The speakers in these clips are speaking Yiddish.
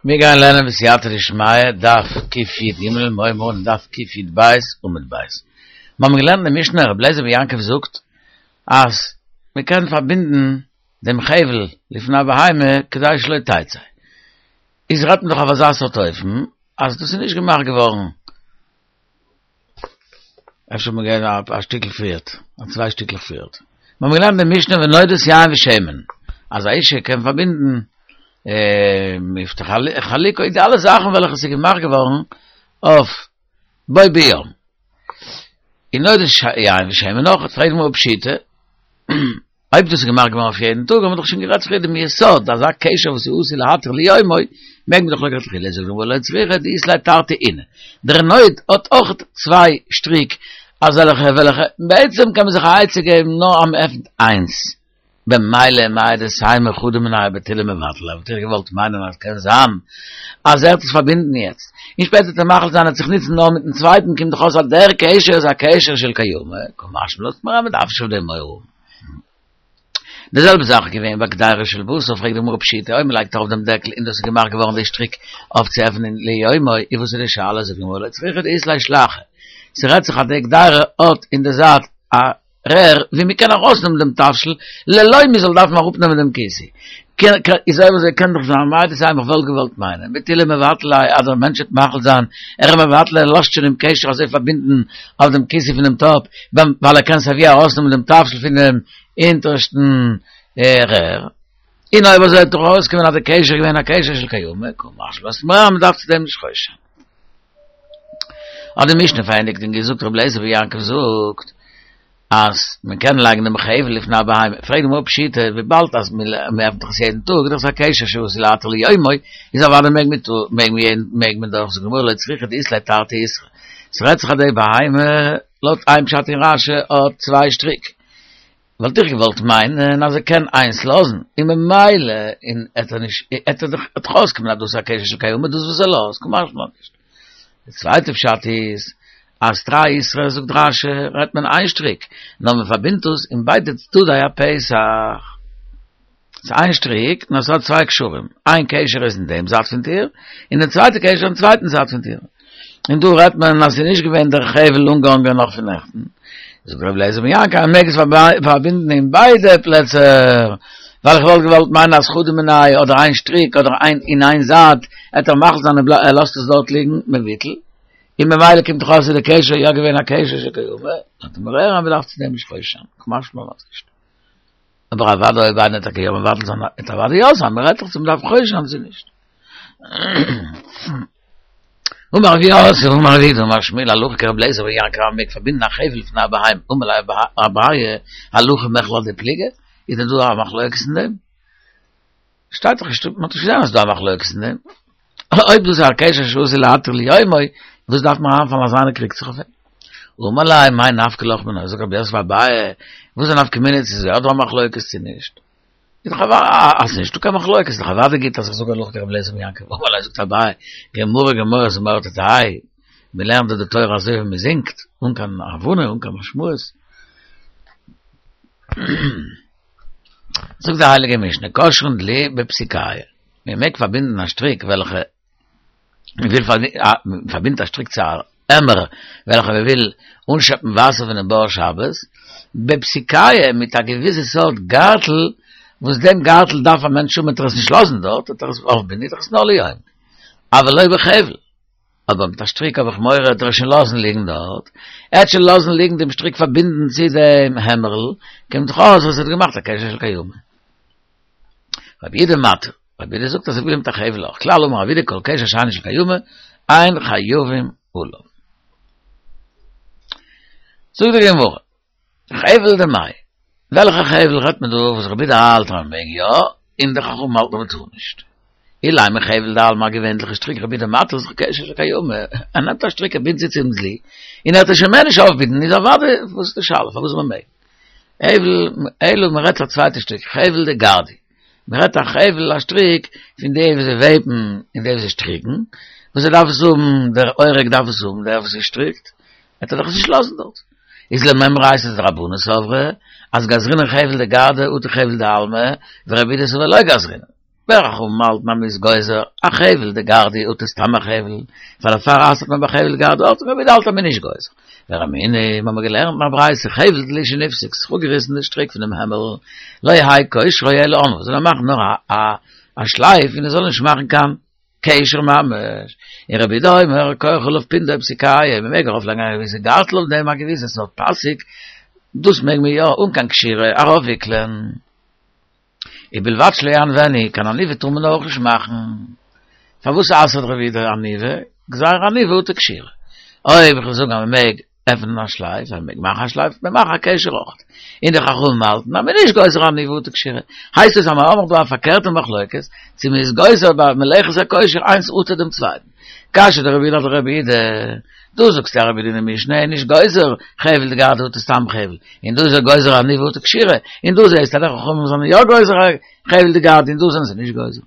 מיר גייען לערנען בסייעתא דשמיא דף קי"ג, מיר הייבן אן דף קי"ב עמוד ב'. מיר האבן געלערנט אין די משנה, רבי אליעזר בן יעקב זאגט אז מען קען פארבינדן דעם חבל לפני הבהמה כדי שלא תצא. איז רעדט מען דאך אויף אזא סארט אופן אז דאס איז נישט געמאכט געווארן אפשר מיר גייען א שטיקל פריערט, א צוויי שטיקלעך פריערט. מיר האבן געלערנט די משנה ונודות יין ושמן, אז א אישה קען פארבינדן מפתח חלוק, די אלע זאכן וועלכע ס'איז געמאכט געווארן אויף בו ביום. און נודות יין ושמן אויך, פרעגט די גמרא פשיטא. אויב דאס איז געמאכט געווארן אויף יעדן טאג, האבן מיר דאך שוין גערעדט פריער דעם יסוד, אז א קשר וואס איז עשוי להתיר ליומו, מעג מען דאך לכתחילה, זאגט די גמרא לא צריכא דאית ליה תרתי אוני. דער נוד האט אויך צוויי שטריק, אזעלכע וועלכע בעצם קען מען זיך א עצה געבן נאר אז מען עפנט איינס, במילא מהו דתימא חדא מינייהו בטולי מבטל ליה, וואלט איך געוואלט מיינען אז קען זיין אז ער וועט עס פארבינדן יעצט, און שפעטער וועט ער מחליט זיין ער וועט זיך נוצן נאר מיטן צווייטן, קומט דאך אויס אז דער קשר איז א קשר של קיימא, קא משמע לן אז מען דארף נישט אויף דעם מורא האבן. די זעלבע זאך איז געווען ביי קדירה של בשר, פרעגט די גמרא פשיטא, אויב מען לייגט ארויף דעם דעקל און דאס איז געמאכט געווארן די שטריק אויף צו עפענען ליומו, איז וואס איז די שאלה, זאגט די גמרא לא צריכא דאית ליה שלאחי, ס'רעדט זיך אז די קדירה האט אין די זייט א רער ווי מען קען ארויסנעמען דעם תבשיל ללא מען זאל דארפן אראפנעמען דעם כיסוי. איז אויב אזוי קען דאך זיין מהו דתימא איך וואלט געוואלט מיינען בטולי מבטל ליה אז דער מענטש וועט מחליט זיין ער איז מבטל ער לאזט שוין דעם קשר אזוי פארבינדן אויף דעם כיסוי פון דעם טאפ ווייל ער קען סייווי ארויסנעמען דעם תבשיל פון דעם אונטערשטן רער. און אויב אזוי וועט דאך ארויסקומען אז דער קשר איז געווען א קשר של קיימא, קא משמע לן מען דארף צו דעם נישט חושש זיין. האט די משנה פארענדיגט און געזאגט רבי אליעזר בן יעקב זאגט אז מען קען לייגן דעם חבל לפני הבהמה, פרעגט די גמרא פשיטא וויבאלד אז מען עפנט דאך עס יעדן טאג איז דאך עס א קשר שעשוי להתיר ליומו, איז אוודאי מעג מען מעג מען מעג מען דאך, זאגט די גמרא לא צריכא דאית ליה תרתי איתרי, ס'רעדט זיך אז די בהמה לויט איין פשט אין רש"י האט צוויי שטריק, וואלט איך געוואלט מיינען אז ער קען איינס לאזן, און ממילא און עט ער נישט, עט ער דאך עט דאך אויסקומען אז דאס איז א קשר של קיימא דאס וואס ער לאזט, קא משמע לן נישט. די צווייטע פשט איז, אז תרי איתרי זאגט רש"י רעדט מען איין שטריק, נאר מען פארבינדט עס אין ביידע צדדי הפתח. ס'איז איין שטריק, נאר ס'האט צוויי קשרים, איין קשר איז אין דעם זייט פון טיר, און די צווייטע קשר אין צווייטן זייט פון טיר. און דא רעדט מען אז ס'איז נישט געווען דער חבל אנגעהאנגען נאך פון נעכטן. זאגט רבי אליעזר בן יעקב, אז מ'מעג עס פארבינדן אין ביידע פלעצער, ווייל איך וואלט געוואלט מיינען אז חדא מינייהו אדער איין שטריק אדער איין אין איין זייט, עט ער מחליט זיין ער לאזט עס דארט ליגן מבטל, און ממילא קומט דאך אויס אז די קשר איז יא געווען א קשר של קיימא, זאגט די גמרא אז מ'דארף צו דעם נישט חושש זיין, קא משמע לן נישט. אבער אוודאי אויב איינער וועט טאקע יא מבטל זיין וועט אוודאי יא זיין, מען רעדט דאך צו מען דארף חושש זיין צו נישט. אמר רב יוסף אמר רב יהודה אמר שמואל הלכה כרבי אליעזר בן יעקב אז מען מעג פארבינדן א חבל לפני הבהמה אמר ליה אביי הלכה מכלל דפליגי איז דען דא א מחלוקת אין דעם? שטייט דאך נישט, מען האט נישט געזען אז ס'איז דא א מחלוקת אין דעם. אויב דאס איז א קשר שעשוי להתיר ליומו, וואס דארף מען אריינפאלן אז איינער קריגט זיך אויף אים? אמר ליה מאי נפקא לך מינה, זאגט רב יוסף אביי, וואס איז א נפקא מינה צו ס'איז יא דא א מחלוקת צו נישט? איז דאך אוודאי אז ס'איז נישטא קיין מחלוקת, איז דאך אוודאי גוט אז איך זאג הלכה כרבי אליעזר בן יעקב, אמר ליה זאגט אביי, גמרא גמרא זמורה תתהי, מען לערנט דא די תורה אזוי ווי מען זינגט, אן קיין הבנה, אן קיין משמעות. זאגט די הייליגע משנה, קושרין דלי בפסיקיא, מען מעג פארבינדן א שטריק וועלכע מען וויל מען פארבינדט א שטריק צו א עמער וועלכע מען וויל אנשעפן וואסער פונעם בור שבת, בפסיקיא מיט א געוויסע סארט גארטל, וואס דעם גארטל דארף א מענטש האבן וועט ער עס נישט לאזן דארט, וועט ער עס אויפבינדן, איז דאך עס נאר ליום, אבל לא בחבל. אבער מיט א שטריק האב איך מורא עט ער שוין לאזן ליגן דארט, ער וועט שוין לאזן ליגן דעם שטריק פארבינדן צו דעם העמערל, קומט דאך אויס אז ער האט געמאכט א קשר של קיימא. רבי יהודה מתיר, רבי יהודה זאגט אז אפילו מיט א חבל אויך, כלל אמר רבי יהודה כל קשר שאינו של קיימא, אין חייבים עליו. זאגט די גמרא. חבל דמאי, וועלכע חבל רעדט מען דא וואס רבי יהודה האלט אז מען מעג יא, און די חכמים האלטן אז מען טאר נישט? אילימא חבל דעלמא א געווענליכע שטריק רבי יהודה מתיר איז דאך קשר של קיימא, ער נעמט א שטריק ער בינדט זי צום דלי, און ער וועט עס שוין מער נישט אויפבינדן איז אוודאי וואס איז די שאלה פארוואס מען מעג? אלא מען רעדט א צווייטע שטריק חבל דגרדי, מען רעדט א חבל א שטריק פון די וואס זיי וועבן און די וואס זיי שטריקן, וואס ער דארף עס האבן, דער אורג דארף עס האבן, דער וואס ער שטריקט, וועט ער דאך עס נישט לאזן דארט. איז למימרא אייתא דרבנן סברי, אז גזרינן חבל דגרדי אטו חבל דעלמא, ורבי יהודה סבר לא גזרינן. וחכמים האלטן אז מ'איז גוזר א חבל דגרדי אטו סתם א חבל, פאר דערפאר אסר'ט מען ביי חבל דגרדי אטו רבי יהודה האלט אז מ'איז נישט גוזר. ורמינהי, מ'האמיר געלערנט אין א ברייתא חבל דלי שנפסק, ס'איז אפגעריסן די שטריק פונעם העמל, לא יהא קושרו אלא עונביו, זאל ער מאכן נאר א א שלייף און ער זאל נישט מאכן קיין קשר ממש. און רבי יהודה אומר כורך עליו פונדא ופסיקיא, מ'מעג ארויפלייגן א געוויסע גארטל אויף דעם א געוויסע סארט פאסיק, דאס מעג מען יא אן קיין קשירה ארויפוויקלען. ובלבד שלא יעניבנו, קיין עניבה טאר מען אויך נישט מאכן. פארוואס אסר'ט רבי יהודה עניבה? גזירה עניבה אטו קשירה. אויב איך וועל זאגן אז מען מעג עפענען א שלייף, אז מען מעג מאכן א שלייף, מען מאכן א קשר אויך. און די חכמים האלטן אז מען איז נישט גוזר עניבה אטו קשירה. הייסט עס אז מיר האבן דא א פארקערטע מחלוקת, צו מען איז גוזר ביי מלאכת הקושר איינס אטו דעם צווייטן. קשיא דרבי יהודה אדרבי יהודה, דו זאגסט אז רבי יהודה אין די משנה איז נישט גוזר חבל דגרדי אטו סתם חבל, און דא איז ער גוזר עניבה אטו קשירה, און דא זעהסטו אז די חכמים זענען יא גוזר חבל דגרדי און דא זענען זיי נישט גוזר.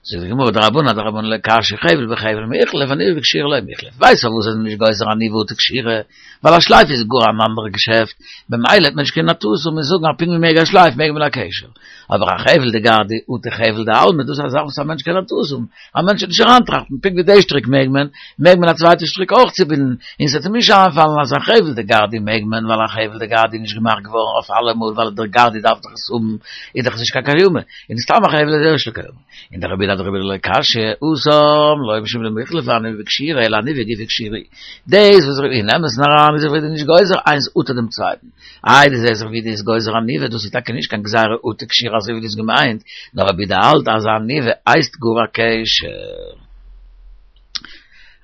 זאגט די גמרא דרבנן אדרבנן לא קשיא חבל בחבל מיחלף עניבה בקשירה לא מיחלף, ווייסט פארוואס זיי זענען נישט גוזר עניבה אטו קשירה? ווייל א שלייף איז גאר אן אנדערע געשעפט, במילא האט מען נישט קיין טעות און מיר זאגן אז פונקט ווי מ'מעג א שלייף מעג מען א קשר. אבער א חבל דגרדי אטו חבל דעלמא דאס איז א זאך וואס א מענטש קען א טעות האבן, א מענטש וועט נישט אריינטראכטן פונקט ווי די שטריק מעג מען, מעג מען א צווייטע שטריק אויך צובינדן, און ס'וועט אים נישט איינפאלן אז א חבל דגרדי מעג מען ווייל א חבל דגרדי איז נישט געמאכט געווארן אויף אלעמאל ווייל דער גרדי דארף דאך עס האבן, איז דאך עס נישט קיין קיימא, און סתם א חבל איז יא קיימא. און דרבי יהודה אדרבי יהודה לא קשיא, התם לא משום דמיחלף עניבה בקשירה אלא עניבה גופה קשירה. דאס וואס אין אמת'ן אריין איז רבי יהודה נישט גוזר איינס אטו דעם צווייטן. איי דו זעסט דאך רבי יהודה איז גוזר עניבה, דאס איז טאקע נישט קיין גזירה אטו קשירה אזוי ווי דו האסט געמיינט, נאר רבי יהודה האלט אז עניבה הייסט גאר א קשר.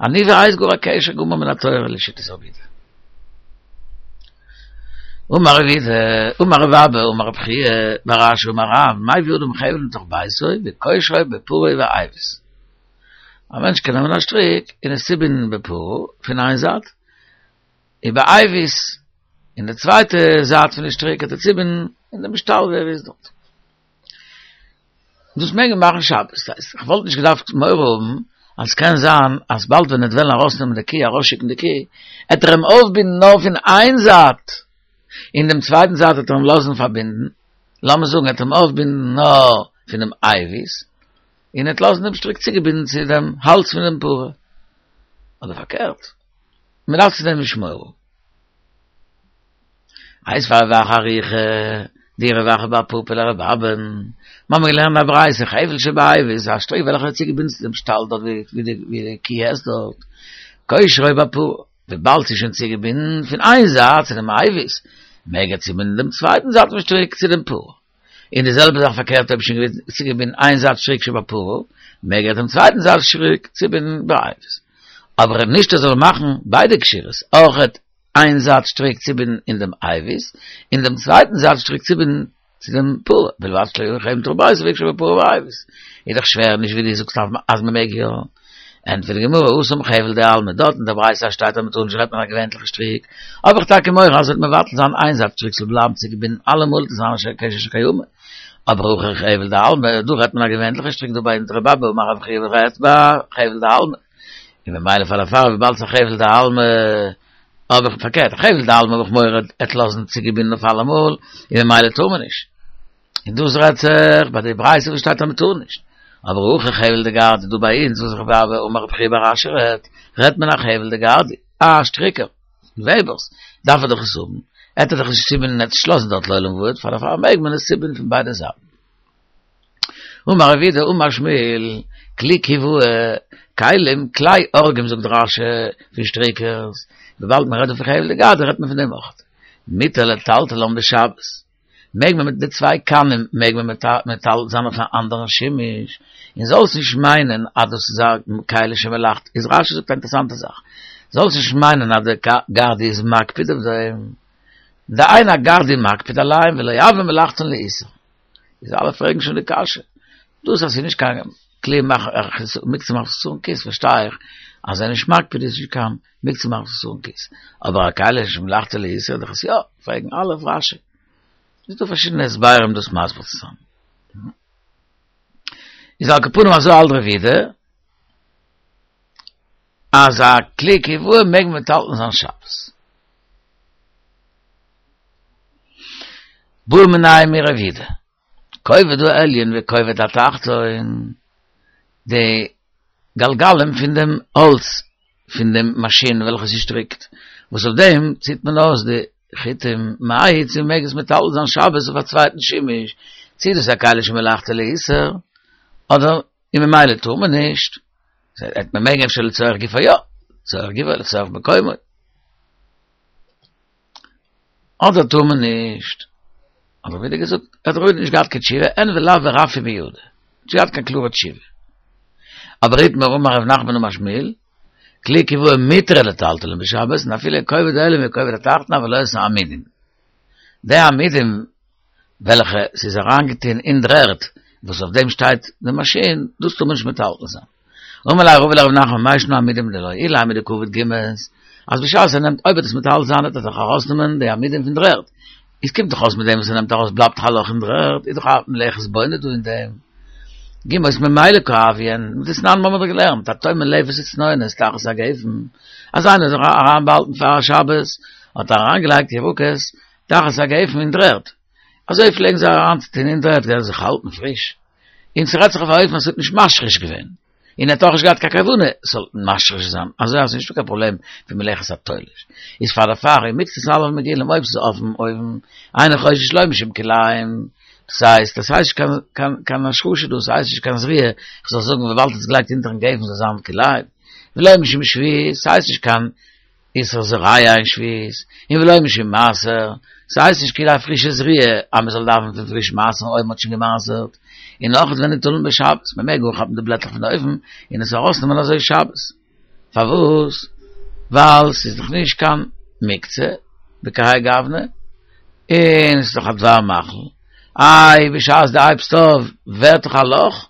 עניבה הייסט גאר א קשר גמור מן התורה לשיטת רבי יהודה. אמר רב יהודה, אמר רב אבא, אמר רב חייא בר אשי אמר רב, מביא אדם חבל מתוך ביתו וקושרו בפרה ובאיבוס. א מענטש קען נעמען א שטריק און עס צובינדן בפרה פון איין זייט, ובאיבוס אין די צווייטע זייט פון די שטריק האט ער צובינדן אין דעם שטאל ווי ער איז דארט. דאס מעג מען מאכן שבת, דאס הייסט איך וואלט נישט געדארפט מורא האבן אז ס'קען זיין אז באלד ווען ער וועט וועלן ארויסנעמען די קי ארויסשיקן די קי, עט ער אים אויפבינדן נאר פון איין זייט, און דעם צווייטן זייט וועט ער אים לאזן פארבינדן, לאמיר זאגן ער וועט אים אויפבינדן נאר פונעם אייביס, און ער וועט לאזן דעם שטריק צוגעבינדן צו דעם האלז פון דעם פרה, אדער פארקערט, מען דארף צו דעם נישט מורא האבן. איתיביה רב אחא אריכא דרב אחא בר פפא לרבי אבא'ן, מ'האמיר געלערנט א ברייתא חבל שבאיבוס, א שטריק וועלכע איז צוגעבינדן צו דעם שטאל דארט ווי די קי עסט דארט, קושרו בפרה, וויבאלד ס'איז שוין צוגעבינדן פון איין זייט צו דעם אייביס, מעג ער צובינדן דעם צווייטן זייט פון שטריק צו דעם פרה. און די זעלבע זאך פארקערט אויב שוין צוגעבינדן איין זייט שטריק שבפרה, מעג ער דעם צווייטן זייט שטריק צובינדן באייביס. אבער נישט ער זאל מאכן ביידע קשירות, אויכעט איין זייט שטריק צובינדן אין דעם אייביס, און דעם צווייטן זייט שטריק צובינדן צו דעם פרה, ובלבד שלא יביא חבל מתוך ביתו ויקשרו בפרה ובאיבוס. איז דאך שווער נישט ווי דו זאגסט אז מען מעג יא. ענטפערט די גמרא, התם חבל דעלמא, דארט אין דער ברייתא שטייט אז מען טאר נישט רעדט מען א געווענטליכע שטריק, האב איך טאקע מורא אז ער וועט מבטל זיין איין זייט שטריק ס'זאל בלייבן צוגעבינדן אלעמאל וועט עס זיין א קשר של קיימא. אבער הכא חבל דעלמא, דא רעדט מען א געווענטליכע שטריק דא ביי אונז רבי אבא אמר רב חייא רעדט ביי חבל דעלמא. און ממילא פאר דערפאר וויבאלד ס'איז א חבל דעלמא האב איך פארקערט א חבל דעלמא האב איך מורא ער וועט לאזן צוגעבינדן אויף אלעמאל און ממילא טאר מען נישט. און דאס רעדט זיך ביי די ברייתא וואס שטייט אז מען טאר נישט. אבער הכא חבל דגרדי דא ביי אונז וואס רבי אבא אמר רב חייא בר אשי רעדט, רעדט מען א חבל דגרדי, א שטריקער, וועבערס, דארף ער דאך עס האבן, עט ער דאך נישט צובינדן עט נישט לאזן דארט לעולם ועד, פאר דערפאר מעג מען עס צובינדן פון ביידע זייטן. אמר רב יהודה אמר שמואל, כלי כיבוע, כלים, כלי אורגים זאגט רש"י, פון שטריקערס, וויבאלד מען רעדט דא פון חבל דגרדי רעדט מען פון דעם אויך. מותר לטלטלן בשבת. מעג מען מיט די צוויי קנים מעג מען מטלטל זיין אויף א אנדערן שימוש, און זאלסט נישט מיינען אז דאס איז א כלי שמלאכתו, איז רש"י זאגט א אינטערעסאנטע זאך, זאלסט נישט מיינען אז די גרדי איז מקפיד אויף דעם, דאין הגרדי מקפיד עליהם ולא הוה מלאכתן לאיסור. איז אלע פרעגן שוין די קשיא. דאס אז ס'איז נישט קיין כלי מוקצה מחמת חסרון כיס פארשטיי איך, אז ער איז נישט מקפיד איז נישט קיין מוקצה מחמת חסרון כיס. אבער א כלי שמלאכתו לאיסור דאך איז יא, פרעגן אלע אויף רש"י. איז דא פארשידענע הסברים דאס מסביר צו זיין. איז על כל פנים אזוי האלט רב יהודה, אז א כלי כיבוע מעג מען מטלטל זיין שבת. בעו מיניה מרב יהודה. כובד העליון וכובד התחתון, די גלגלים פון דעם האלץ פון דעם מאשין וועלכע ס'שטריקט, וואס אויף דעם ציט מען אויס די חוטים מהו, צו מ'מעג עס מטלטל זיין שבת אויף א צווייטן שימוש, צו דאס איז א כלי שמלאכתו לאיסור, אדער און ממילא טאר מען נישט, וועט מען מעגן אפשר לצורך גופו יא, לצורך גופו לצורך מקומו. אדער טאר מען נישט. האט רב יהודה געזאגט, האט רב יהודה נישט געהאט קיין תשובה, אין ולאו ורפי מידע. נישט געהאט קיין קלארע תשובה. אבער איתמר אמר רב נחמן אמר שמואל, כלי קיבועה מותר לטלטלן בשבת, און אפילו כובד העליון וכובד התחתון אבל לא את העמודים. די עמודים וועלכע ס'איז אריינגעטוהן אין דר'ערד, וואס אויף דעם שטייט די מאשין, דאס טאר מען נישט מטלטל זיין. אמר ליה רבא לרב נחמן מאי שנא עמודים דלא אילימא דקעביד גומות, אז בשעת ער נעמט אויב ער וועט עס מטלטל זיין וועט ער דאך ארויסנעמען די עמודים פון דר'ערד, איז קומט דאך אויס מיט דעם וואס ער נעמט ארויס בלייבט דאך א לאך אין דר'ערד, איז דאך א מלאכת בונה דא אין דעם. גומות ממילא קא הויין, דתנן מ'האמיר דאך געלערנט, הטומן לפת וצנונות תחת הגפן, אז איינער האט זיך אריינבאהאלטן פאר שבת, האט ער אריינגעלייגט ירקות תחת הגפן אין דר'ערד, אזוי פלעגן זיי אריינצוטון אין דר'ערד כדי זיך האלטן פריש. און ס'רעדט זיך אויף א אופן אז ס'האט נישט משריש געווען, און ער האט אויך נישט געהאט קיין כוונה ס'זאל משריש זיין, אזוי אז ס'איז נישטא קיין פראבלעם פון מלאכת התולש. איז פאר דערפאר אם מקצת עליו מגולים אויב ס'איז אויפן אויוון, אינו חושש לא משום כלאים, דאס הייסט, דאס הייסט נישט קיין קיין קיין השרשה דאס הייסט נישט קיין זריעה, כ'זאל זאגן וויבאלד ס'איז געלייגט אונטערן גפן זאל זיין כלאים, ולא משום שביעית, ס'הייסט נישט קיין איסור זריעה אין שביעית, און ולא משום מעשר, ס'הייסט נישט כאילו א פרישע זריעה אז מ'זאל דארפן פון פריש מעשר'ן אויב מ'האט שוין געמעשר'ט, און נאך וניטלין בשבת, מ'מעג אנכאפן די בלעטלעך פון די אויוון און עס ארויסנעמען אזוי שבת. פארוואס? ווייל ס'איז דאך נישט קיין מוקצה בכהאי גוונא, און ס'איז דאך א דבר מאכל, איי בשעת דו הייבסט אויף ווערט דאך א לאך,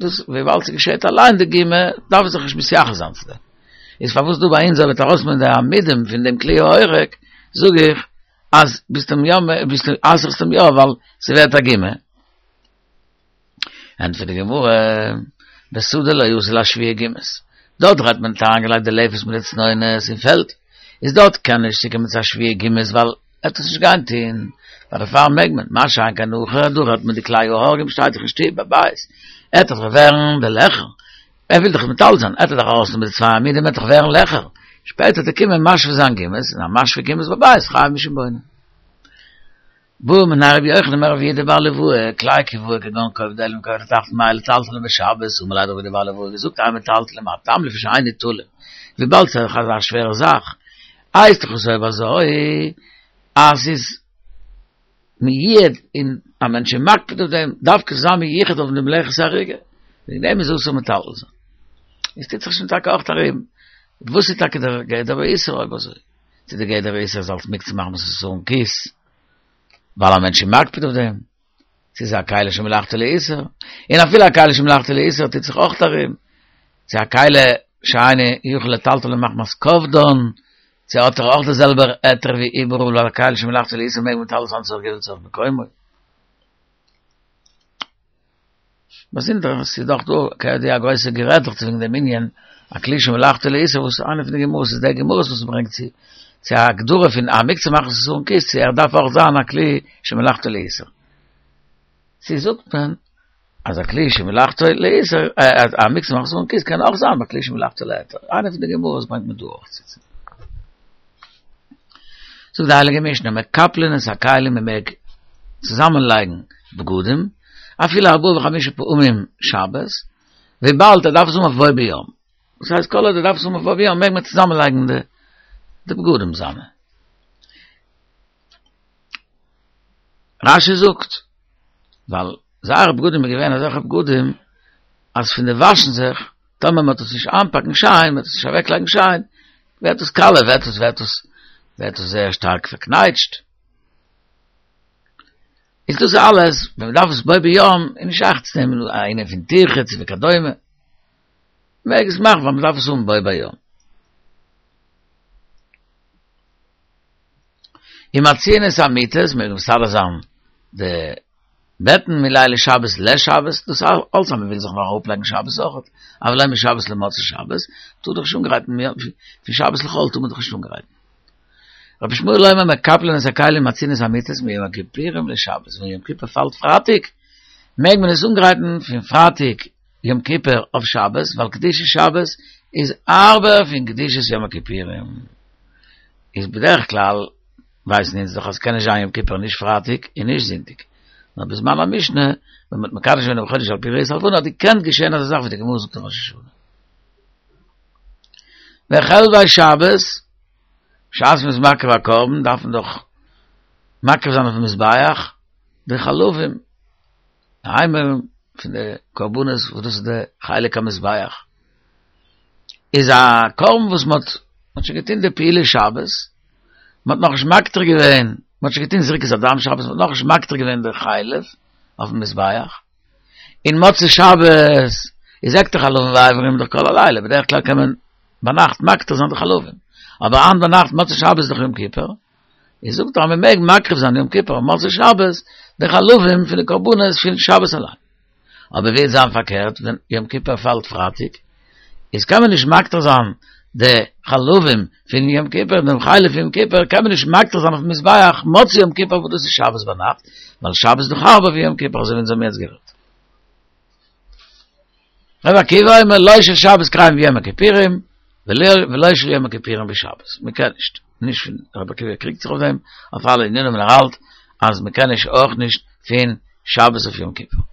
דאס וויבאלד ס'געשעט אליין די גומא דארף זיך נישט מתייחס זיין צו דעם. איז פארוואס דא ביי אונז אויב וועט ארויסנעמען די עמודים פון דעם כלי האורג זאג איך אז ביסט אים יא ביסט אסר'סט אים יא ווייל ס'ווערט א גומא. ענטפערט די גמרא, בשדה לא אתי לאשוויי גומות, דארט האט מען אריינגעלייגט די לפת מיט די צנונות אין פעלד, איז דארט קען נישט צוקומען צו אשוויי גומות ווייל ער וועט עס נישט גיין טוהן, פאר דערפאר מעג מען, מה שאין כן הכא, דא רעדט מען די כלי האורגים שטייט דאך אין שטוב בבית, עט דאך ווערן די לעכער, ער וויל דאך מטלטל זיין, עט ער דאך ארויסנעמען די צוויי עמודים עט דאך ווערן לעכער, שפעטער וועט ער קומען משווה זיין גומות, און א משווה גומות בבית חייב משום בונה. בעא מיניה רבי יוחנן מרב יהודה בר ליואי, כלי קיבועה כגון כובד העליון וכובד התחתון מהו לטלטלן בשבת, אמר ליה האט רב יהודה בר ליואי געזאגט אין מטלטלין מה טעם לפי שאין ניטלין, וויבאלד ס'איז דאך אזא שווערע זאך, הייסט דאך עס אויב אזוי אז ס'איז מיועד און א מענטש איז מקפיד אויף דעם, דארף עס זיין מיוחד אויף די מלאכת אריגה, וועגן דעם איז אסור מטלטל זיין. עס טוט זיך שוין טאקע אויך ארום, וואס איז טאקע דער גדר האיסור אויב אזוי? צו דער גדר האיסור איז אלס מוקצה מחמת חסרון כיס, ווייל א מענטש איז מקפיד אויף דעם, צו ס'איז א כלי שמלאכתו לאיסור, און אפילו א כלי שמלאכתו לאיסור טוט זיך אויך ארום, צו א כלי שאינו יכול לטלטלו מחמת כובדן, צו האט ער אויך די זעלבע היתר ווי איבעראל ווייל א כלי שמלאכתו לאיסור מעג מען מטלטל זיין לצורך גופו לצורך מקומו. באזונדער ס'איז דאך דא כידוע א גרויסע גערעדעכץ וועגן דעם ענין א כלי שמלאכתו לאיסור וואס איינע פון די גמרות איז די גמרות וואס מ'ברענגט צו צו א הגדרה פון א מוקצה מחמת חסרון כיס צו ער דארף אויך זיין א כלי שמלאכתו לאיסור. צו זאגט מען אז א כלי שמלאכתו לאיסור א מוקצה מחמת חסרון כיס קען אויך זיין א כלי שמלאכתו להיתר. איינע פון די גמרות ברענגט מען דא אויך צו. זאגט די הייליגע משנה, מקפלין את הכלים מען מעג צוזאמען לייגן בגדים, אפילו ארבעה וחמישה פעמים שבת, וויבאלד ער דארף עס האבן אויף בו ביום, דאס הייסט כל עוד ער דארף עס האבן אויף בו ביום מעג מען צוזאמען לייגן די די בגדים זיינע. רש"י זאגט, ווייל זייערע בגדים איז געווען אזעלכע בגדים אז פון די וואשן זיך, טאמער מען וועט עס נישט איינפאקן שיין, מען וועט עס נישט אוועקלייגן שיין, ווערט עס קאלע, ווערט עס ווערט עס ווערט עס זייער שטארק פארקנייטשט. איז דאס אלעס, ווען מען דארף עס בו ביום, איז נישט שייך צו נעמען א ענין פון טירחא וכדומה. מעג עס מאכן ווייל מען דארף עס האבן בו ביום. ומציעין את המיטות, מעג מען מסדר זיין די בעטן מליל שבת לשבת, דאס אלץ אז מען וויל זיך נאך אראפלייגן שבת אויכעט, אבל לא משבת למוצאי שבת, טאר דאך נישט אנגרייטן, פון שבת לחול טאר מען דאך נישט אנגרייטן. רבי ישמעאל אומר מקפלין את הכלים ומציעין את המיטות מיום הכיפורים לשבת, ווען יום כיפור פאלט פרייטאג מעג מען עס אנגרייטן פון פרייטאג יום כיפור אויף שבת, ווייל קדושת שבת איז הארבער פון קדושת יום הכיפורים. איז בדרך כלל ווייסן אונז דאך אז ס'קען נישט זיין יום כיפור נישט פרייטאג און נישט זונטאג, נאר בזמן המשנה ווען מ'האט מקדש געווען דעם חודש על פי ראיית הלבנה האט געקענט געשען אזא זאך ווי די גמרא זאגט אין ראש השנה. וחלבי שבת, בשעת מ'איז מקריב א קרבן דארף מען דאך מקריב זיין אויפן מזבח די חלבים, די אימורים פון די קרבנות וואס דאס איז די חלק המזבח, איז א קרבן וואס מ'האט מ'האט שוין געטון די פעולה שבת, מ'האט נאכנישט מקטיר געווען, מ'האט שוין געטון זריקת הדם שבת, מ'האט נאכנישט מקטיר געווען די חלב אויפן מזבח, און מוצאי שבת איז הקטר חלבים ואיברים דאך כל הלילה, בדרך כלל קען מען ביינאכט מקטיר זיין די חלבים, אבער היינט ביינאכט מוצאי שבת איז דאך יום כיפור, איז זאגט ער אז מען מעג מקריב זיין יום כיפור מוצאי שבת די חלבים פון די קרבנות פון שבת אליין. אבער ווי וועט זיין פארקערט ווען יום כיפור פאלט פרייטאג, איז קען מען נישט מקטיר זיין די חלבים פון יום כיפור, דעם חלב פון יום כיפור קען מען נישט מקטיר זיין אויפן מזבח מוצאי יום כיפור וואס דאס איז שבת ביינאכט, ווייל שבת איז דאך הארבער ווי יום כיפור אזוי ווי אונז האבן יעצט גערעדט. רבי עקיבא אומר לא של שבת כריין ביום הכיפורים ולא של יום הכיפורים בשבת, מען קען נישט, נישט פון רבי עקיבא קריגט זיך אויף דעם, אויף אלע ענינים און ער האלט אז מען קען נישט אויך נישט פון שבת אויף יום כיפור.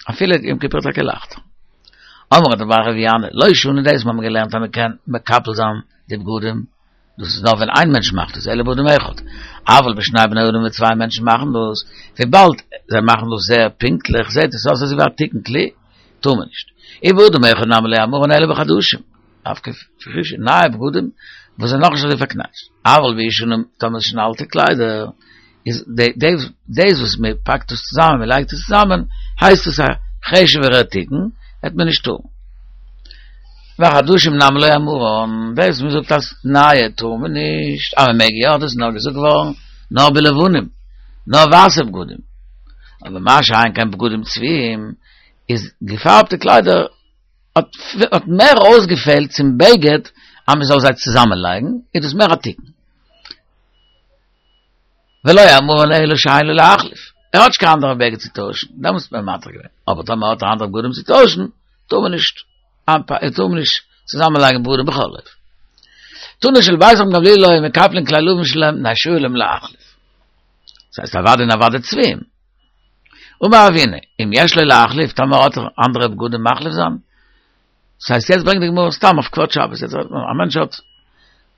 אפילו יום כיפור טאקע לייכטער. אמר רב טוביה בר רב ינאי, לא שנו דאס מ'האבן געלערנט אז מ'קען מקפל זיין די בגדים, דאס איז נאר ווען איין מענטש מאכט עס, אלא באדם אחד, אבל בשני בני אדם ווען צוויי מענטשן מאכן דאס, וויבאלד זיי מאכן דאס זייער פונקטליך זעט עס אויס אזוי ווי א תיקון כלי, טאר מען נישט. ובאדם אחד נמי לא אמרן אלא בחדשים, דווקא פרישע נייע בגדים וואס זענען נאכנישט אזוי פארקנייטשט, אבל בישנים טאמער עס איז שוין אלטע קליידער, איז דאס וואס מען פאקט עס צוזאמען מען לייגט עס צוזאמען הייסט עס א חשוב'ערע תיקון, וועט מען נישט טארן. וחדשים נמי לא אמרן, דאס מען זאגט אז נייע טאר מען נישט, אז מען מעג יא, דאס איז נאר געזאגט געווארן נאר בלבנים, נאר ווייסע בגדים, אבער מה שאין כן בגדים צבועים, איז געפארבטע קליידער האט מער אויסגעפעלט צום בגד אז מען זאל זיי צוזאמען לייגן, איז דאס מער א תיקון. ולא אמרן אלא שאין לו להחליף, ער האט נישט קיין אנדערע בגד צו טוישן, דעמאלטס האט מען מתיר געווען, אבער טאמער האט ער אנדערע בגדים צו טוישן, טאר מען נישט טאר מען נישט צוזאמען לייגן בגדים בכל אופן. תנא של בית רבן גמליאל היו מקפלין כלי לבן שלהם מפני שהיה להם להחליף. דאס הייסט אוודאי און אוודאי צבועים. אמר אבינא, אם יש לו להחליף, טאמער האט ער אנדערע בגדים מחליף זיין, דאס הייסט יעצט ברענגט די גמרא סתם אויף כבוד שבת, יעצט רעדט מען א מענטש האט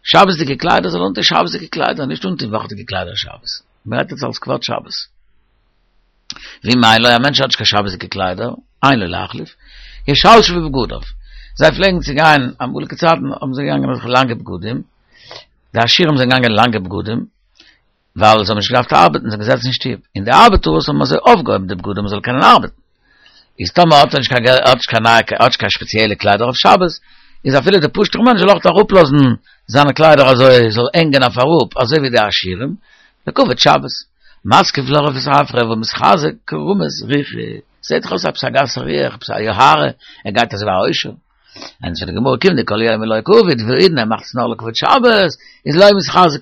שבת'דיגע קליידער זאל ער אנטון שבת'דיגע קליידער, נישט אנטון וואכעדיגע קליידער שבת, מען רעדט יעצט אלס כבוד שבת. ואם אין לו, א מענטש האט נישט קיין שבת'דיגע קליידער, אין לו להחליף, ישלשל בבגדיו, זיי פלעגן צו גיין, אמאליגע צייטן האבן זיי געגאנגען אזעלכע לאנגע בגדים, די עשירים זענען געגאנגען לאנגע בגדים, ווייל זיי האבן נישט געדארפט ארבעטן, זיי זענען געזעצן אין שטוב, און די ארבעטארס האבן אזוי אויפגעהויבן די בגדים מען זאל קענען ארבעטן. איז טאמער האט ער נישט קיין געלט, האט נישט קיין נייע, האט נישט קיין שפעציעלע קליידער אויף שבת, איז אפילו דער פשוט'ער מענטש זאל אויך אראפלאזן זיינע קליידער אזוי, זאל הענגען אויף אראפ, אזוי ווי די עשירים, לכבוד שבת. מתקיף לה רב ספרא והא מתחזי כרמית רוחא, זעט דאך אויס עפעס א גסה רוח, עפעס א יוהרא, ער גייט אזוי ווי א עושר. ענטפערט די גמרא כיון דכל יומא לא קעביד והאידנא ער מאכט עס נאר לכבוד שבת, איז לא מתחזי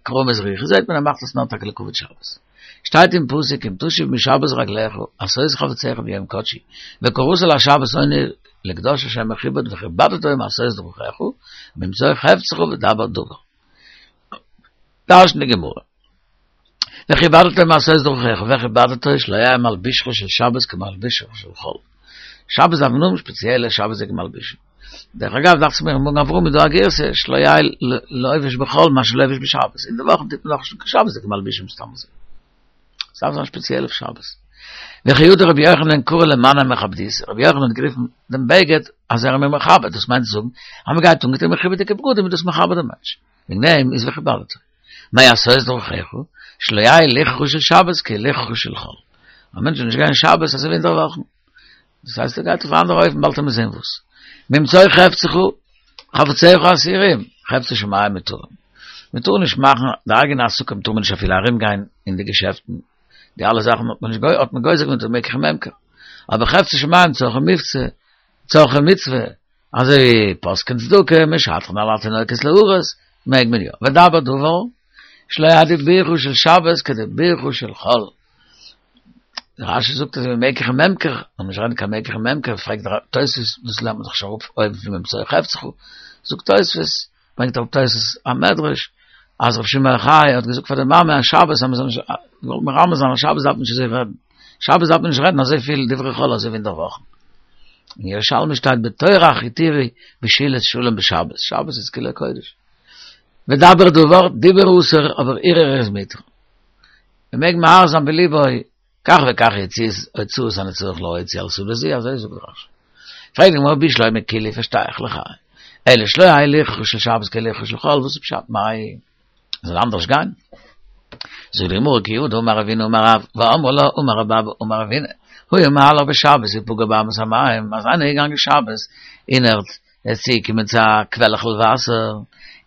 כרמית רוחא, זעט מען ער מאכט עס נאר טאקע לכבוד שבת. שטייט אין פסוק אם תשיב משבת רגלך עשות חפציך ביום קדשי, וקראת לשבת עונג לקדוש השם מכובד וכבדת מעשות דרכיך, ממצוא חפצך ודבר דבר. דרש'נט די גמרא. וכבדת מעשות דרכיך, וכבדתו שלא יהא מלבושך של שבת כמלבושך של חול. שבת דארף מען האבן שפעציעלע שבת'דיגע מלבושים. דרך אגב דאכט זיך מיר אין מגן אברהם איז דא א גירסא שלא יהא לובש בחול מה שלובש בשבת. אין די וואכן טוט מען דאך נישט קיין שבת'דיגע מלבושים סתם אזוי. עס דארף זיין שפעציעל אויף שבת. וכי הא דרבי יוחנן קרי ליה מנא מכבדיתא, רבי יוחנן האט גערופן דעם בגד אז ער איז מיר מכבד, דאס מיינט צו זאגן אז מען גייט אנגעטון מכובד'דיגע בגדים איז דאס מכבד דעם מענטש. וועגן דעם איז וכבדתו. מעשות דרכיך, שלא יהא ליחכה של שבת כליחכה של חול. א מענטש זאל נישט גיין שבת אזוי ווי אינדערוואכן. דאס הייסט ער גייט אויף א אנדערע אופן באלד עמיר זען וואס. ממצוא חפצך, חפציך אסורים, חפצי שמים מותרים. מען טאר נישט מאכן די אייגענע עסקים טאר מען נישט אפילו ארום גיין אין די געשעפטן. די אלע זאכן האט מען נישט האט מען גוזר געווען מקח וממכר. אבער חפצי שמים צרכי מבצע, צרכי מצוה, אזוי ווי פוסקין צדקה, משדכן על התינוקות להרות, מעג מען יא. ודבר דבר. שלא יהא דיבורך של שבת כדיבורך של חול. רשי זאגט אז מקח וממכר, און נישט רעדן קיין מקח וממכר, פרעגט דער תוספות, דאס לערנט מען דאך שוין אראפ אויבן פון ממצוא חפצך, זאגט תוספות, ברענגט אראפ תוספות א מדרש, אז רבי שמעון בר יוחאי האט געזאגט פאר די מאמע אז שבת אז מען זאל נישט, געוואלט מרמז זיין אז שבת דארף מען נישט אזוי רעדן, שבת דארף מען נישט רעדן אזויפיל דברי חול אזוי ווי אין דער וואכן. אין ירושלמי שטייט בטורח התירו בשאילת שלום בשבת, שבת איז כולו קודש. ודבר דבר, דיבור אסור, אבער הרהור איז מותר. מען מעג מהרהר זיין בליבו, כך וכך יציאות הוצאות אני צריך להוציא על סעודה זו, אזוי זאגט רשי. פרעגט די גמרא בשלמא כולהו פארשטיי איך לך, אלא שלא יהא הילוכך של שבת כהילוכך של חול, וואס איז פשט מאי? זאל אנדערש גיין? זאגט די גמרא כי הא דאמר רבינא אמר רב, ואמרי לה אמר רבי אבא אמר רבינא, היה מהלך בשבת ופגע באמת המים, אז איינער איז געגאנגען שבת און ער איז צוגעקומען צו א קוועלעכל וואסער,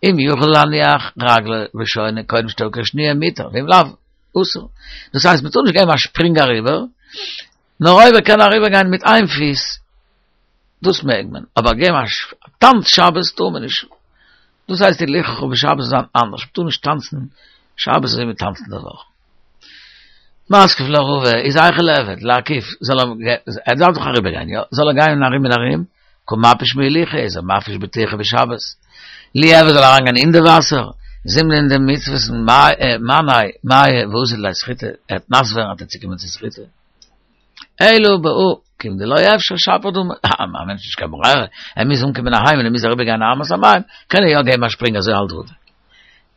אם יכול להניח רגלו ראשונה קודם שתבקע שניה מותר, ואם לאו, אסור. דאס הייסט מ'טאר נישט געבן א שפרינג אריבער, נאר אויב ער קען אריבער גיין מיט איין פיס, דאס מעג מען, אבער געבן א טאנץ שבת טאר מען נישט. דאס הייסט הילוכך בשבת זאל זיין אנדערש, מ'טאר נישט טאנצן שבת אזוי ווי מ'טאנצט אין דער וואך. מתקיף לה רבא איז היכי ליעביד, להקיף, זאל ער, ער דארף דאך אריבער גיין, יא? זאל ער גיין ארום און ארום, קא מפיש מהילוכא איז ער מפיש בטירחא בשבת. ליעביד זאל אריינגיין אין די וואסער, זימנין דמיתבסן מיניה מיא ואזיל לידי סחיטה, ער וועט נאס ווערן וועט ער צוקומען צו סחיטה. אלא בהא כיון דלא אפשר שפיר דמי, א מענטש נישט קיין ברירה, ער מוז אנקומען אהיים און ער מוז אריבער גיין אמת המים, קען ער יא געבן א שפרינג אזוי האלט רבא.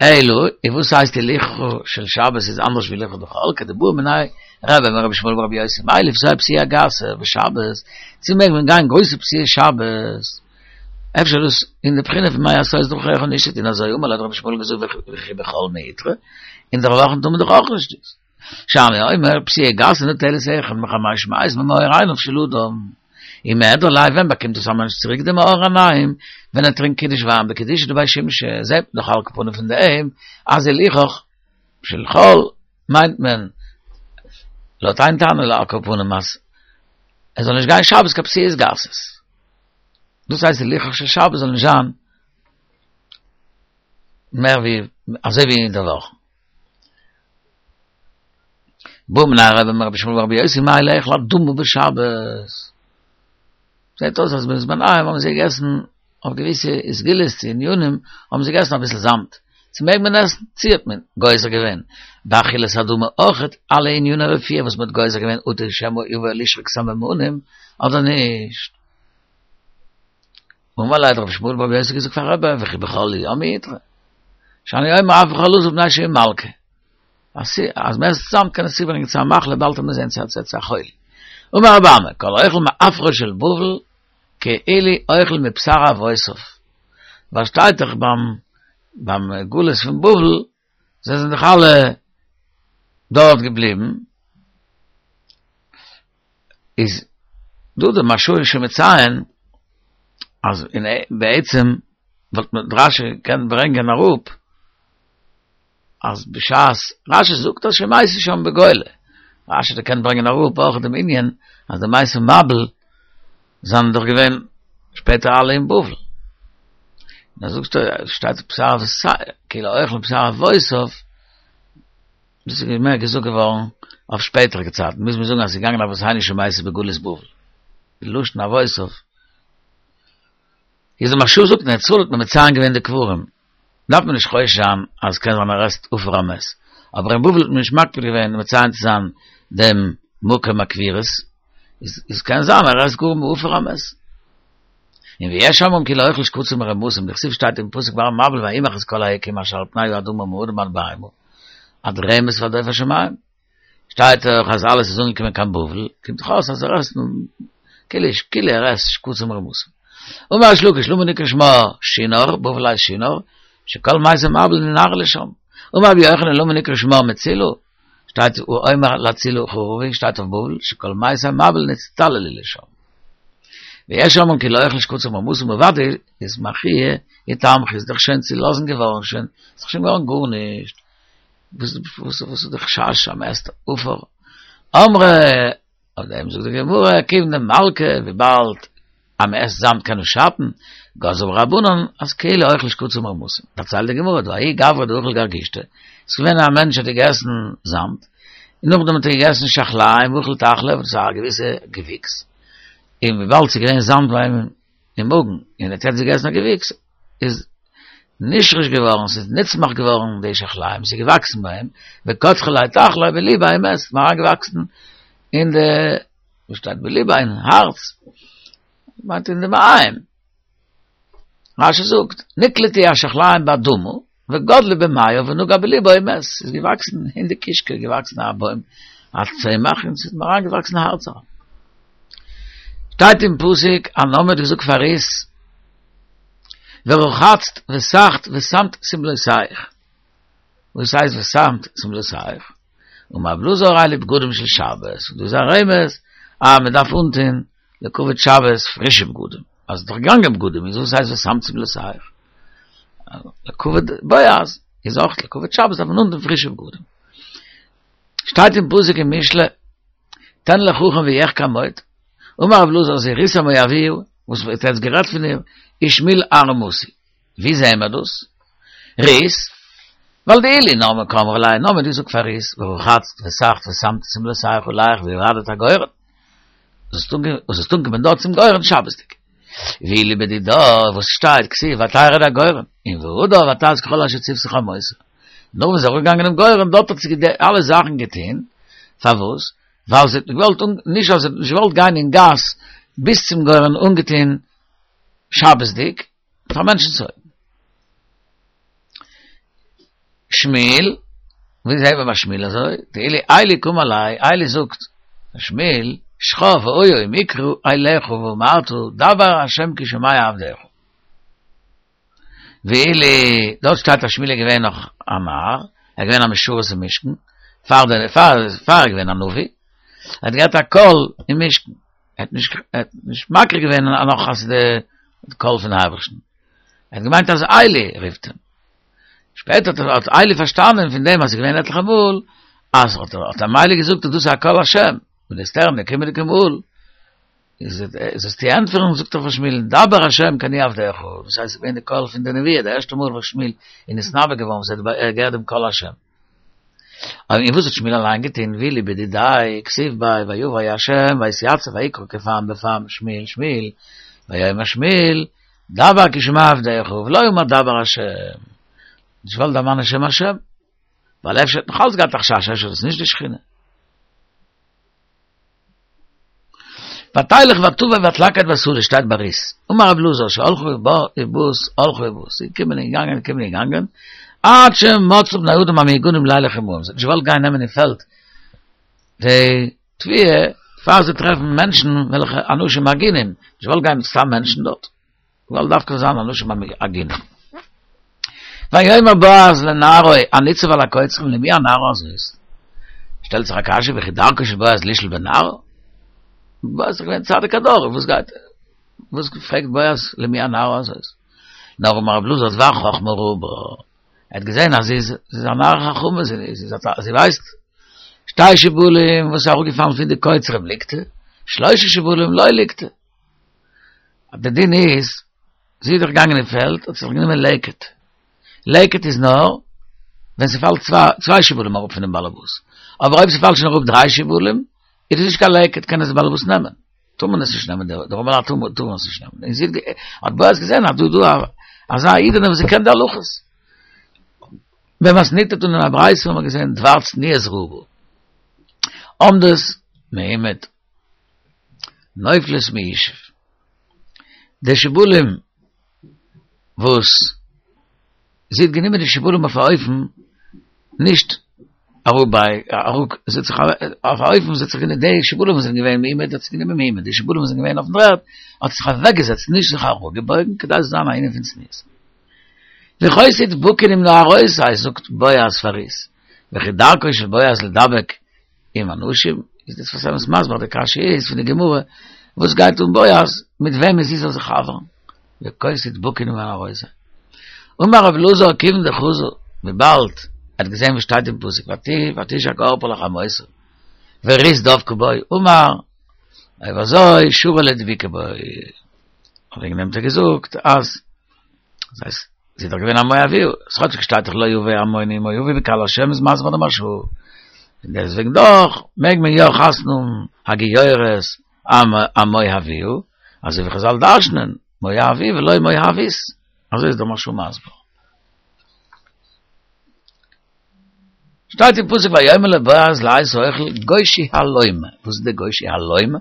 אלא, און וואס הייסט הילוכך של שבת איז אנדערש ווי הילוכא דחול, כדבעא מיניה רבה מרבי ישמעאל ברבי יוסי מהו לפסוע פסיעה גסה בשבת, צו מעג מען גיין גרויסע פסיעות שבת? אפשר דאס אין די בחינה פון מה עשות דרכיך נישט צו טון אזוי, אמר ליה האט רבי ישמעאל געזאגט וכי בחול מיעתרא, אין דער וואכן טאר מען דאך אויך נישט דאס. שאני אומר פסיעה גסה נוטלת אחד מחמש מאות ממאור עיניו של אדם. ומיהדר ליה ווען באקומט דאס א מענטש צוריק די מאור עיניים? ווען ער טרינקט קידוש וויין בקדושה דבי שמשי, זעט מען דאך על כל פנים פון דעם אז הילוכך של חול מיינט מען לויט איין תנא על כל פנים אז ער זאל נישט גיין שבת קיין פסיעות גסות. דאס הייסט הילוכך של שבת זאל נישט זיין מער ווי אזוי ווי אין די וואך. בעא מיניה רבה מרבי ישמעאל ברבי יוסי מהו לאכול אדמה בשבת. זעט אויס אז בזמן ההוא האבן זיי געגעסן אויף געוויסע סגולות צו ענינים האבן זיי געגעסן אביסל זאמד. צו מעג מען עסן? צו האט מען גוזר געווען באכילת אדמה אויכעט אלע עניני רפואה וואס מען האט גוזר געווען אטו שמא יבא לשחוק סממנים אדער נישט? אמר ליה האט רבי ישמעאל ברבי יוסי געזאגט פאר רבה וכי בחול יא מיעתרא שאני אומר אף בחול אסור מפני שהוא מלקה אז אז מען עסט זאמד קען עס צוברענגען צו א מחלה באלד וועט מען זען צו צו א חולי אמר רבי אמי כל האוכל מעפרו של בבל כאילו אוכל מבשר אבותיו ווייל שטייט דאך ביים ביים גלות פון בבל זיי זענען דאך אלע דארט געבליבן איז דא די מהרש"א איז שוין מציין אז אין בעצם וואלט מען רשי געקענט ברענגען אראפ אז בשעת רשי זאגט אז שמתו שם בגולה רשי האט געקענט ברענגען אראפ אויך דעם ענין אז די מתי מבול זענען דאך געווען שפעטער אלע אין בבל און זאגסטו שטייט בשר כאילו אוכל מבשר אבותיו דאס איז מער געזאגט געווארן אויף שפעטערדיגע צייטן, מוז מען זאגן אז ס'איז געגאנגען אבותינו שמתו בגלות בבל, די לשון אבותיו. איז די מהרש"א זאגט אין ארץ ישראל האט מען מציין געווען די קברים, דארף מען נישט חושש זיין אז קען זיין ער עסט עפר המת, אבער אין בבל האט מען נישט מקפיד געווען מציין צו זיין דעם מקום הקבורות, איז קען זיין ער עסט גאר מעפר המת. און ויש אומרים כאילו אוכל שקצים ורמשים, דכתיב שטייט אין פסוק ביי מבול וימח את כל היקום אשר על פני האדמה מאדם עד בהמה, עד רמש ועד עוף השמים. שטייט דאך אז אלעס איז אנגעקומען קיין בבל, קומט דאך אויס אז ער עסט כאילו כאילו ער עסט שקצים ורמשים. אמר ריש לקיש למה נקרא שמה שנער, בבל הייסט שנער, שכל מתי מבול ננהרו לשם. אמר רבי יוחנן למה נקרא שמה מצולה, שטייט ואומר להצלה חרבי, שטייט אויף בבל, שכל מתי מבול נצטללו לשם. ויש אומרים כאילו אוכל שקצים ורמשים אוודאי איז מחייא איתמחי איז דאך שוין צולאזן געווארן שוין, איז דאך שוין געווארן גארנישט, וואס וואס וואס איז די חשש אז מ'עסט עפר? אמרי, אויף דעם זאגט די גמרא, כיוון דמלקי, וויבאלד. אז מען עסט זאמד קען עס שאטן, גזרו רבנן אז כאילו אוכל שקצים ורמשים. דערציילט די גמרא, דההוא גברא דאכל גרגושתא, ס'איז געווען א מענטש האט געגעסן זאמד, און נאכדעם האט ער געגעסן שחליים ואכל טחלא, וואס איז א געוויסע געוויקס, און וויבאלד ס'איז געווען זאמד ביי אים אין מאגן, און ער האט יעצט געגעסן א געוויקס, איז נשרש געווארן, ס'איז נצמח געווארן די שחליים, ס'איז געוואקסן ביי אים, וקדחה ליה טחלא בליביה ומת, ס'איז אריינגעוואקסן אין די, וואס שטייט בליביה אין הארץ, מיינט אין די מעיים. רשי זאגט, נקלטו השחליים באדמה, וגדלו במעיו ונגע בליבו ומת, ס'איז געוואקסן אין די קישקע, געוואקסן א בוים, א צמח, און ס'איז אריינגעוואקסן אין הארץ אריין. שטייט אין פסוק, אז נעמי האט געזאגט פאר רות, ורחצת וסכת ושמת שמלותיך. וואס הייסט ושמת שמלותיך? אמר רבי אלעזר אלו בגדים של שבת, דאס איז א רמז אז מען דארף אנטון לכבוד שבת פרישע בגדים, אז ס'איז דאך געגאנגען בגדים, איז וואס הייסט ושמת שמלותיך? לכבוד בועז איז אויך לכבוד שבת דארף מען אנטון פרישע בגדים. שטייט אין פסוק אין משלי, תן לחכם ויחכם עוד, אמר רבי אלעזר זו רות המואביה, וואס ווערט יעצט גערעדט פון איר, איש שמואל הארמתי. ווי זעהן מיר דאס? רות, ווייל דאילו נעמי קאמרה ליה, נעמי האט געזאגט פאר רות, ורחצת וסכת ושמת שמלותיך עליך וירדת הגורן. זאלסט אנקומען דארט צום גורן שבת'דיג. ואילו בדידה, וואס שטייט, כתיב ותרד הגורן, און והדר ותעש ככל אשר צותה חמותה. נאך וואס זי איז אראפגעגאנגען דעם גורן, דארט האט זי אלע זאכן געטון, פארוואס? ווייל זי האט געוואלט, נישט ווייל זי האט נישט געוואלט גיין אין גאס ביז צום גורן אנגעטון שבת'דיג, פאר מענטשנ'ס אויגן. שמואל, ווי זעהט מען ביי שמואל אזוי? דאילו עלי קאמר ליה, עלי זאגט פאר שמואל, שכב והיה אם יקרא אליך ואמרת דבר ה' כי שומע עבדך. ואילו, דארט שטייט אז שמואל איז געווען נאך א נער, ער איז געווען א משרת אין משכן, פאר דער פאר פאר ער איז געווען א נביא, ער האט געהאט א קול אין משכן. ער האט נישט ער האט נישט מכיר געווען נאך אז די קול פון אייבערשטן, ער האט געמיינט אז עלי רופט אים, שפעטער האט עלי פארשטאנען פון דעם אז ס'איז געווען עטליכע מאל אז האט האט אים עלי געזאגט אז דאס איז א קול השם, און וועסט הערן די קומענדיגע מאל איז זאלסטו ענטפערן זאגט ער פאר שמואל דבר השם כי אני עבדך, דאס הייסט ס'איז געווען די קול פון די נבואה די ערשטע מאל וואס שמואל איז נתנבא געווארן וואס ער האט געהערט דעם קול השם. און וואס האט שמואל אליין געטון? ואילו בדידיה כתיב ביה ויבא ה' ויתיצב ויקרא כפעם בפעם שמואל שמואל ויאמר שמואל דבר כי שומע עבדך ולא אמר דבר השם נישט געוואלט דערמאנען שם השם ווייל אפשר האט נאך אלץ געהאט א חשש אפשר איז עס נישט די שכינה. ותלך ותבא ותלקט בשדה שטייט ביי רות. אמר רב אלעזר שהלכה ובאת הלכה ובאת. זי איז געקומען און געגאנגען געקומען און געגאנגען עד שמצאה בני אדם המהוגנים לילך עמהם. זי האט נישט געוואלט גיין נעמען אין פעלד די תבואה פאר זיי טרעפן מענטשן וועלכע אנשים הגונים. נישט געוואלט גיין מיט סתם מענטשן דארט. געוואלט דווקא זיין אנשים הגונים. ויאמר בועז לנערו הניצב על הקוצרים למי הנערה הזאת? שטעלט זיך א קשיא וכי דרכו של בועז לשאול בנערה? בועז איז דאך געווען צדיק הדור, וואס גייט וואס פרעגט בועז למי הנערה הזאת? נאר אמר רב אלעזר דבר חכמה ראה בה, ער האט געזען אז זי איז א נערה חכמה, זי ווייסט שתי שיבולים וואס איז אראפגעפאלן פון די קוצרים ליקטו, שלשה שיבולים לא ליקטו. די דין איז, זי איז דאך געגאנגען אין פעלד, האט זיך גענומען לקט. לקט איז נאר ווען ס'פאלט צוויי שיבולים אראפ פונעם באלעבאס. אבער אויב ס'פאלט שוין אראפ דריי שיבולים, איז עס נישט קיין לקט, קען עס דער באלעבאס נעמען. טאר מען עס נישט נעמען, די ארעמעלייט טארן עס נישט נעמען. און זי האט בועז געזען אז דא איז דא אזא אידענע וואס זי קען די הלכות. במתניתא תנא אין א ברייתא האט מען געזען דבר צניעות ראה בה. עומדות מעומד. נופלות מישוב. די שיבולים וואס זי האט גענומען די שיבולים אויף א אופן נישט אראפ ביי אראפ זי האט זיך אויף א אופן זי האט זיך גענומען די שיבולים וואס זענען געווען מעומד האט זי גענומען מעומד די שיבולים וואס זענען געווען אויפן דר'ערד האט זי זיך אוועקגעזעצט נישט זיך אראפגעבויגן כדי ס'זאל זיין א ענין פון צניעות. וכה תדבקין עם נערותי זאגט בועז פאר רות וכי דרכו של בועז לדבק עם הנשים, איז דער שפת אמת מסביר די קשיא איז פון די גמרא, וואס גייט אן בועז מיט וועמען זי זאל זיך חבר'ן, וכה תדבקין עם נערותי. אמר רב אלעזר כיוון דחזא, וויבאלד ער האט געזען וואס שטייט אין פסוק ותשק ערפה לחמותה ורות דבקה בו, אמר, אויב אזוי שרי לדבוקה בו. וועגן דעם האט ער געזאגט אז דאס הייסט זי איז דאך געווען א מואבי, כאטשיג שטייט דאך לא יבא עמוני ומואבי בקהל השם איז מסביר דער מהרש"א, און דעסטוועגן דאך מעג מען יא חתונה האבן הגיורת המואביה, אזוי ווי חזל דרש'נען מואבי ולא מואבית, אזוי איז דער מהרש"א מסביר. שטייט אין פסוק ויאמר לבועז לעת האכל גושי הלום, וואס איז די גושי הלום?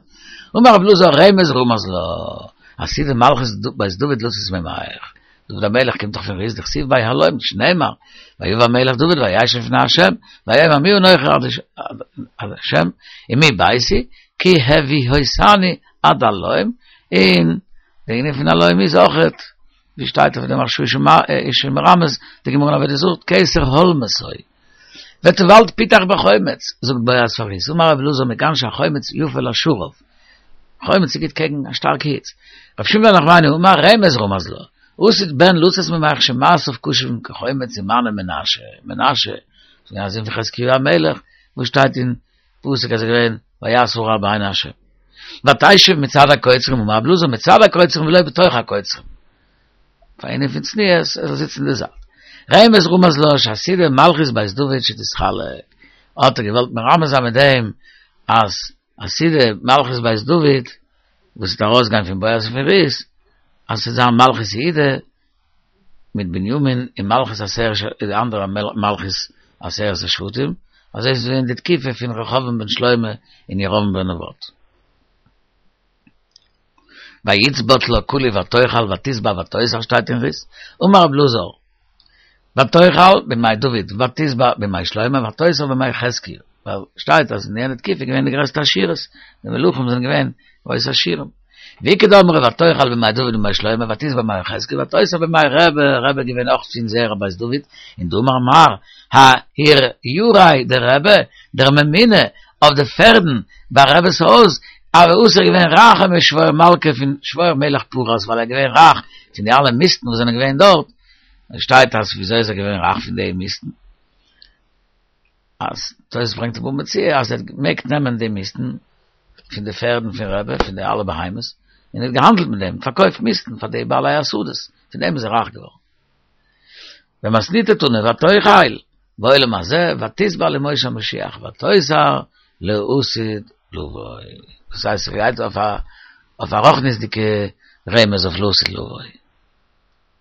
אמר רב אלעזר רמז רמז לה, עתידה מלכות בית דוד לצאת ממך, דוד המלך קומט דאך פון רות דכתיב ביה הלום, שנאמר, ויבא המלך דוד וישב לפני ה', ויאמר מי אנכי ה' ומי ביתי, כי הביאותני עד הלום, און די ענין פון הלום איז אויכעט. ווי שטייט אויף דעם מהרש"א איז שוין מרמז די גמרא אין עבודה זרה כתר הולמתו וטבלת פתך בחומץ זאגט בועז פאר רות אמר רבי אלעזר מכאן שהחומץ יפה לשרב חומץ איז גוט קעגן א שטארקע היץ רבי שמואל בר נחמני אמר רמז רמז לה עתיד בן לצאת ממך שמעשיו קשים כחומץ ומנו מנשה מנשה א זון פון חזקיהו המלך וואס שטייט אין פסוק אז ער איז געווען ויעש הרע בעיני השם. ותשב מצד הקוצרים אמר רבי אלעזר מצד הקוצרים ולא בתוך הקוצרים. פאר ענין פון צניעות ער זאל זיצן אין די זייט. רמז רמז לה שעתידה מלכות בית דוד שתתחלק. האט ער געוואלט מרמז זיין מיט דעם אז עתידה מלכות בית דוד וואס וועט ארויסגיין פון בועז און פון רות אז ס'וועט זיין מלכות יהודה מיט בנימין און מלכות עשרת די אנדערע מלכות עשרת השבטים, אזוי איז געווען די תקופה פון רחבעם בן שלמה און ירבעם בן נבט. ויצבט לה כולי ותאכל ותשבע ותוסר שטייט אין רות, אמר רב אלעזר, ותאכל בימי דוד ותשבע בימי שלמה ותוסר בימי חזקיה, ווייל שטייט אז אין יענע תקופה איז געווען די גרעסטע עשירות, די מלכים זענען געווען גרויסע עשירים. ואיכא דאמרי ותאכל בימי דוד ובימי שלמה ותשבע בימי חזקיה ותוסר בימי רבי, רבי איז געווען אויך פון זרע בית דוד, און דאמר מר ההורייריה דרבי, דער ממונה אויף די פערדן ביי רבי'ס הויז, הוה אסיר געווען רייכער משבור מלכא פון שבור מלך פרס ווייל ער איז געווען רייך פון די אלע מיסטן וואס זענען געווען דארט, שטייט אז וויאזוי איז ער געווען רייך פון די מיסטן? אז תוס' ברענגט אין בבא מציעא אז ער האט געמעגט נעמען די מיסטן פון די פערדן פון רבי, פון די אלע בהמות, און ער האט געהאנדלט מיט דעם, פארקויפט מיסטן פאר די בעלי השדות, פון דעם איז ער רייך געווארן. במתניתא תנא ותאכל בעולם הזה ותשבע לימות המשיח ותוסר לעתיד לבוא. דאס הייסט ס'גייט אויף א אויף א רוחניות'דיגע רמז אויף לעתיד לבוא.